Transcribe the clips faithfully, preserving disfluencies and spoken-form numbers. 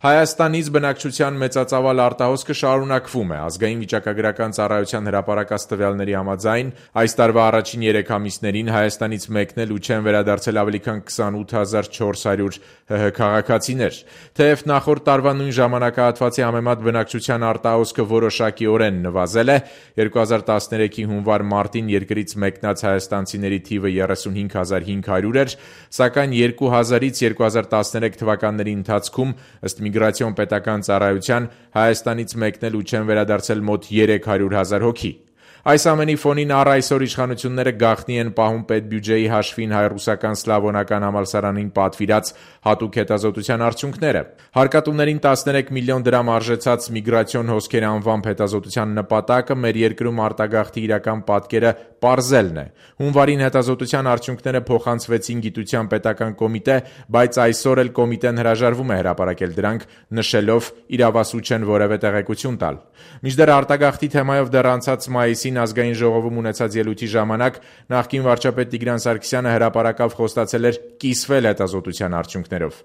Հայաստանից բնակչության մեծածավալ արտահոսքը շարունակվում է։ Ազգային վիճակագրական ծառայության հրապարակած տվյալների համաձայն այս տարվա առաջին երեք ամիսներին Հայաստանից մեկնել ու չեն վերադարձել ավելի քան քսանութ հազար չորս հարյուր ՀՀ քաղաքացիներ։ Թեև նախորդ տարվա նույն ժամանակահատվածի համեմատ բնակչության արտահոսքը որոշակիորեն նվազել է, երկու հազար տասներեքի հունվար-մարտին երկրից մեկնած հայաստանցիների թիվը երեսունհինգ հազար հինգ հարյուր էր, սակայն երկու հազարից երկու հազար տասներեք թվականների ընթացքում ըստ Միգրացիոն պետական ծառայության Հայաստանից մեկնել ու չեն վերադարձել մոտ երեք հարյուր հազար հոգի։ Այս ամենի ֆոնին առ այսօր իշխանությունները գաղտնի են պահում պետբյուջեի հաշվին հայ-ռուսական սլավոնական համալսարանին պատվիրած հատուկ հետազոտության արդյունքները։ Հարկատուներին տասներեք միլիոն դրամ արժեցած միգրացիոն հոսքեր անվամբ հետազոտության նպատակը մեր երկրում արտագաղթի իրական պատկերը պարզելն է։ Հունվարին հետազոտության արդյունքները փոխանցվեցին Գիտության պետական կոմիտե, բայց այսօր էլ կոմիտեն հրաժարվում է հրապարակել դրանք, նշելով իրավասու չեն որևէ տեղեկություն տալ։ Մինչդեռ արտագաղթի թեմայով դեռ անցած մայիսին Ազգային ժողովում ունեցած ելույթի ժամանակ նախկին վարչապետ Տիգրան Սարգսյանը հրապարակավ խոստացել էր կիսվել հետազոտության արդյունքներով։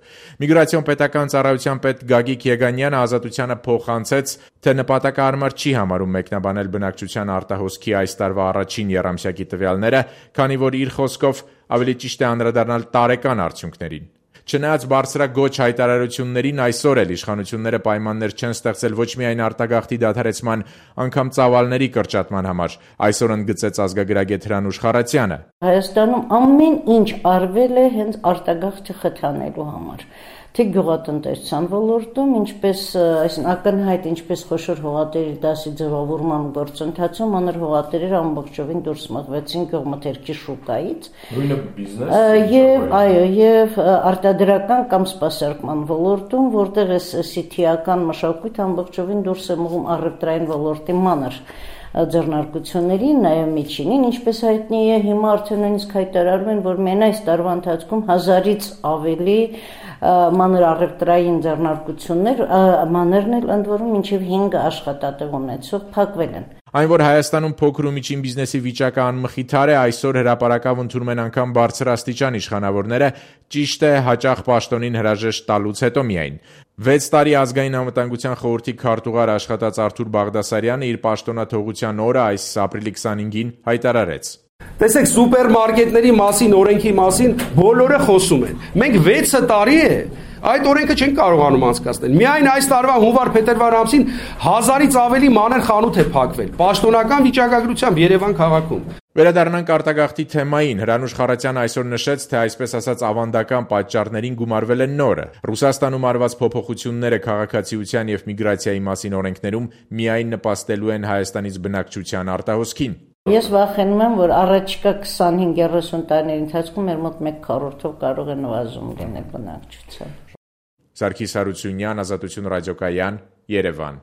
Միգրացիոն պետական ծառայության պետ Գագիկ Եգանյանը Ազատությանը փոխանցեց, թե նպատակահարմար չի համարում մեկնաբանել բնակչության արտահոսքի այս տարվա առաջին եռամսյակի տվյալները, քանի որ իր խոսքով ավելի ճիշտ է անդրադառնալ տարեկան արդյունքներին։ Չնայած բարձրագոչ հայտարարություններին, այսօր էլ իշխանությունները պայմաններ չեն ստեղծել ոչ միայն արտագաղթի դադարեցման, անգամ ծավալների կրճատման համար, այսօր ընդգծեց ազգագրագետ Հրանուշ Խառատյանը։ Հայաստանում ամեն ինչ արվել է հենց արտագաղթը խթանելու համար, թե գյուղատնտեսության ոլորտում, ինչպես այսինքն ակնհայտ ինչպես խոշոր հողատերի դասի ձևավորման գործընթացում մանր հողատերերը ամբողջովին դուրս մղվեցին գյուղմթերքի շուկայից։ Նույնը բիզնես։ Եվ այո, եւ արտադրական կամ սպասարկման ոլորտում, որտեղ էս սիթիական մշակույթ ամբողջովին դուրս է մղում առևտրային ոլորտի մանր ձեռնարկություններին, նաև միջինին, ինչպես հայտնի է, հիմա արդեն նույնիսկ հայտարարում են, որ մեն այս տարվա ընթացքում հազարից ավելի մանր առևտրային ձեռնարկություններ, մանրն էլ ընդ որում մինչև հինգ աշխատատեղ ունեցող փակվել են։ Այն, որ Հայաստանում փոքր ու միջին բիզնեսի վիճակը անմխիթար է, այսօր հրապարակավ ընդունում են անգամ բարձրաստիճան իշխանավորները, ճիշտ է, հաճախ պաշտոնին հրաժեշտ տալուց հետո միայն։ Վեց տարի Ազգային անվտանգության խորհրդի քարտուղար աշխատած Արթուր Բաղդասարյանը իր պաշտոնաթողության օրը այս ապրիլի քսանհինգին հայտարարեց. Տեսեք, սուպերմարկետների մասին, օրենքի մասին բոլորը խոսում են։ Մենք վեցը տարի է այդ օրենքը չեն կարողանում անցկացնել։ Միայն այս տարվա հունվար-փետրվար ամսին հազարից ավելի մանր խանութ է փակվել պաշտոնական վիճակագրությամբ Երևան քաղաքում։ Վերադառնանք արտագաղթի թեմային։ Հրանուշ Խառատյանը այսօր նշեց, թե այսպես ասած ավանդական պատճառներին գումարվել է նորը։ Ռուսաստանում արված փոփոխությունները քաղաքացիության եւ միգրացիայի մասին օրենքներում միայն նպաստելու են Հայաստանից բնակչության արտահոսքին։ Ես վախենում եմ, որ առաջիկա քսանհինգ երեսուն տարիների ընթացքում մեր մոտ մեկ քառորդով կարող է նվազում լինել բնակչության։ Սարգիս Հարությունյան, Ազատություն ռադիոկայան, Երևան։